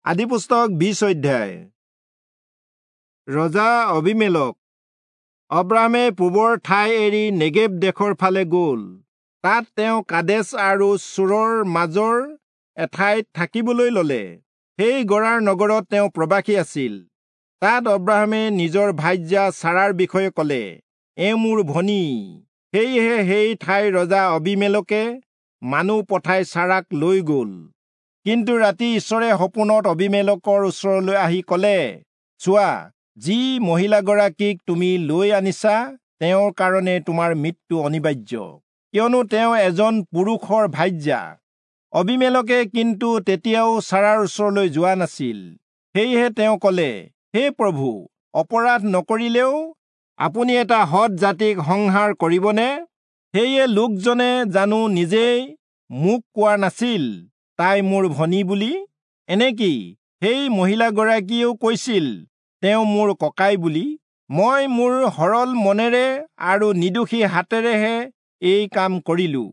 আদিপুস্তক 20 অধ্যায়। ৰজা অবিমেলক। অব্ৰাহামে পূবৰ ঠাই এৰি নেগেব দেশৰ ফালে গ'ল। তাত তেওঁ কাদেশ আৰু চূৰৰ মাজৰ এঠাইত থাকিবলৈ ললে। সেই গৰাৰ নগৰত তেওঁ প্ৰবাসী আছিল। তাত অব্ৰাহামে নিজৰ ভাৰ্যা চাৰাৰ বিষয়ে ক'লে, এওঁ মোৰ ভনী। সেয়েহে সেই ঠাইৰ ৰজা অবিমেলকে মানুহ পঠাই চাৰাক লৈ গ'ল। কিন্তু ৰাতি ঈশ্বৰে সপোনত অবিমেলকৰ ওচৰলৈ আহি ক'লে, চোৱা, যি মহিলাগৰাকীক তুমি লৈ আনিছা তেওঁৰ কাৰণে তোমাৰ মৃত্যু অনিবাৰ্য, কিয়নো তেওঁ এজন পুৰুষৰ ভাৰ্যা। অবিমেলকে কিন্তু তেতিয়াও চাৰাৰ ওচৰলৈ যোৱা নাছিল। সেয়েহে তেওঁ ক'লে, হে প্ৰভু, অপৰাধ নকৰিলেও আপুনি এটা সৎ জাতিক সংহাৰ কৰিবনে? সেয়ে লোকজনে জানো নিজেই মোক কোৱা নাছিল, তাই মোৰ ভনী বুলি? এনেকি সেই মহিলাগৰাকীয়েও কৈছিল, তেওঁ মোৰ ককাই বুলি। মই মোৰ সৰল মনেৰে আৰু নিৰ্দোষী হাতেৰেহে এই কাম কৰিলো।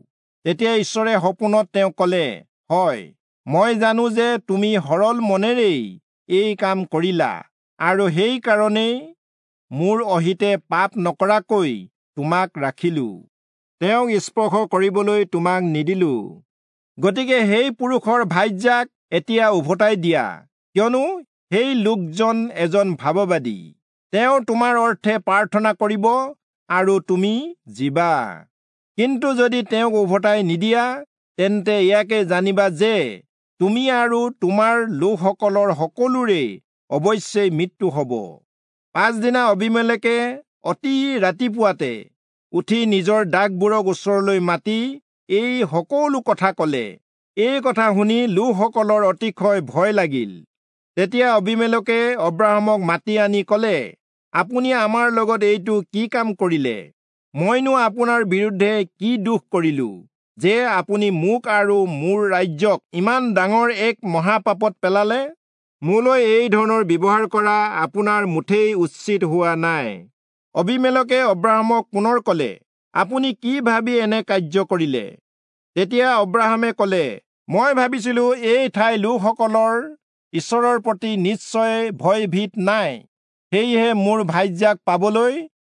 তেতিয়া ঈশ্বৰে সপোনত তেওঁক ক'লে, হয়, মই জানো যে তুমি সৰল মনেৰেই এই কাম কৰিলা, আৰু সেই কাৰণেই মোৰ অহিতে পাপ নকৰাকৈ তোমাক ৰাখিলো, তেওঁক স্পৰ্শ কৰিবলৈ তোমাক নিদিলো। গতিকে সেই পুৰুষৰ ভাৰ্যাক এতিয়া উভতাই দিয়া, কিয়নো সেই লোকজন এজন ভাৱবাদী। তেওঁ তোমাৰ অৰ্থে প্ৰাৰ্থনা কৰিব আৰু তুমি জীবা। কিন্তু যদি তেওঁক উভতাই নিদিয়া, তেন্তে ইয়াকে জানিবা যে তুমি আৰু তোমাৰ লোকসকলৰ সকলোৰে অৱশ্যেই মৃত্যু হ'ব। পাছদিনা অবিমেলকে অতি ৰাতিপুৱাতে উঠি নিজৰ দাসবোৰক ওচৰলৈ মাতি এই সকলো কথা ক'লে। এই কথা শুনি লোকসকলৰ অতিশয় ভয় লাগিল। তেতিয়া অবিমেলকে অব্ৰাহামক মাতি আনি ক'লে, আপুনি আমাৰ লগত এইটো কি কাম কৰিলে? মইনো আপোনাৰ বিৰুদ্ধে কি দোষ কৰিলো, যে আপুনি মোক আৰু মোৰ ৰাজ্যক ইমান ডাঙৰ এক মহাপাপত পেলালে? মোলৈ এই ধৰণৰ ব্যৱহাৰ কৰা আপোনাৰ মুঠেই উচিত হোৱা নাই। অবিমেলকে অব্ৰাহামক পুনৰ ক'লে, আপুনি কি ভাবি এনে কাৰ্য কৰিলে? তেতিয়া অব্ৰাহামে ক'লে, মই ভাবিছিলো এই ঠাইৰ লোকসকলৰ ঈশ্বৰৰ প্ৰতি নিশ্চয় ভয়ভীত নাই, সেয়েহে মোৰ ভাৰ্যাক পাবলৈ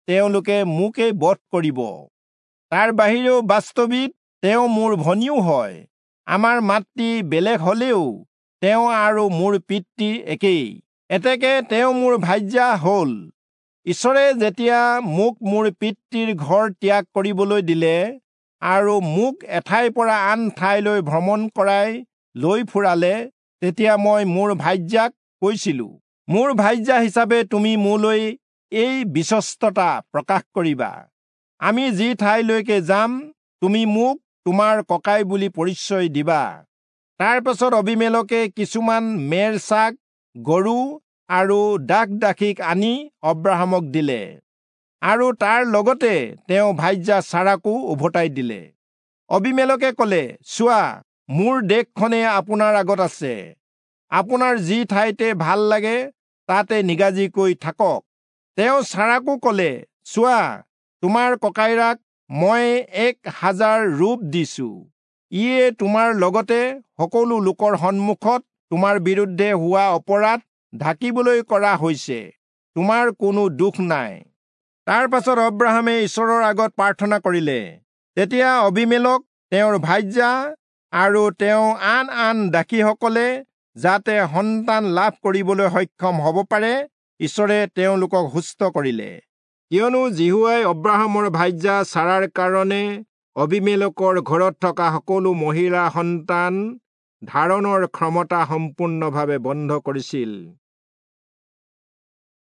তেওঁলোকে মোকেই বধ কৰিব। তাৰ বাহিৰেও বাস্তৱিক তেওঁ মোৰ ভনীও হয়। আমাৰ মাতৃ বেলেগ হলেও তেওঁ আৰু মোৰ পিতৃ একেই, এতেকে তেওঁ মোৰ ভাৰ্যা হ'ল। ঈশ্বৰে যেতিয়া মোক মোৰ পিতৃৰ ঘৰ ত্যাগ কৰিবলৈ দিলে আৰু মোক এঠাইৰ পৰা আন ঠাইলৈ ভ্ৰমণ কৰাই লৈ ফুৰালে, তেতিয়া মই মোৰ ভাৰ্যাক কৈছিলো, মোৰ ভাৰ্যা হিচাপে তুমি মোলৈ এই বিশ্বস্ততা প্ৰকাশ কৰিবা। আমি যি ঠাইলৈকে যাম, তুমি মোক তোমাৰ ককাই বুলি পৰিচয় দিবা। তাৰ পাছত অবিমেলকে কিছুমান মেৰ ছাগ, গৰু আৰু দাস দাসীক আনি অব্ৰাহামক দিলে, আৰু তাৰ লগতে তেওঁ ভাৰ্যা চাৰাকো উভতাই দিলে। অবিমেলকে ক'লে, চোৱা, মোৰ দেশখনে আপোনাৰ আগত আছে। আপোনাৰ যি ঠাইতে ভাল লাগে তাতে নিগাজিকৈ থাকক। তেওঁ চাৰাকো ক'লে, চোৱা, তোমাৰ ককাইৰাক মই 1000 ৰূপ দিছো। ইয়ে তোমাৰ লগতে সকলো লোকৰ সন্মুখত তোমাৰ বিৰুদ্ধে হোৱা অপৰাধ ঢাকিবলৈ কৰা হৈছে, তোমাৰ কোনো দোষ নাই। তাৰ পাছত অব্ৰাহামে ঈশ্বৰৰ আগত প্ৰাৰ্থনা কৰিলে। তেতিয়া অবিমেলক, তেওঁৰ ভাৰ্যা আৰু তেওঁ আন আন দাসীসকলে যাতে সন্তান লাভ কৰিবলৈ সক্ষম হ'ব পাৰে, ঈশ্বৰে তেওঁলোকক সুস্থ কৰিলে। কিয়নো যিহোৱাই অব্ৰাহামৰ ভাৰ্যা চাৰাৰ কাৰণে অবিমেলকৰ ঘৰত থকা সকলো মহিলা সন্তান ধাৰণৰ ক্ষমতা সম্পূৰ্ণভাৱে বন্ধ কৰিছিল।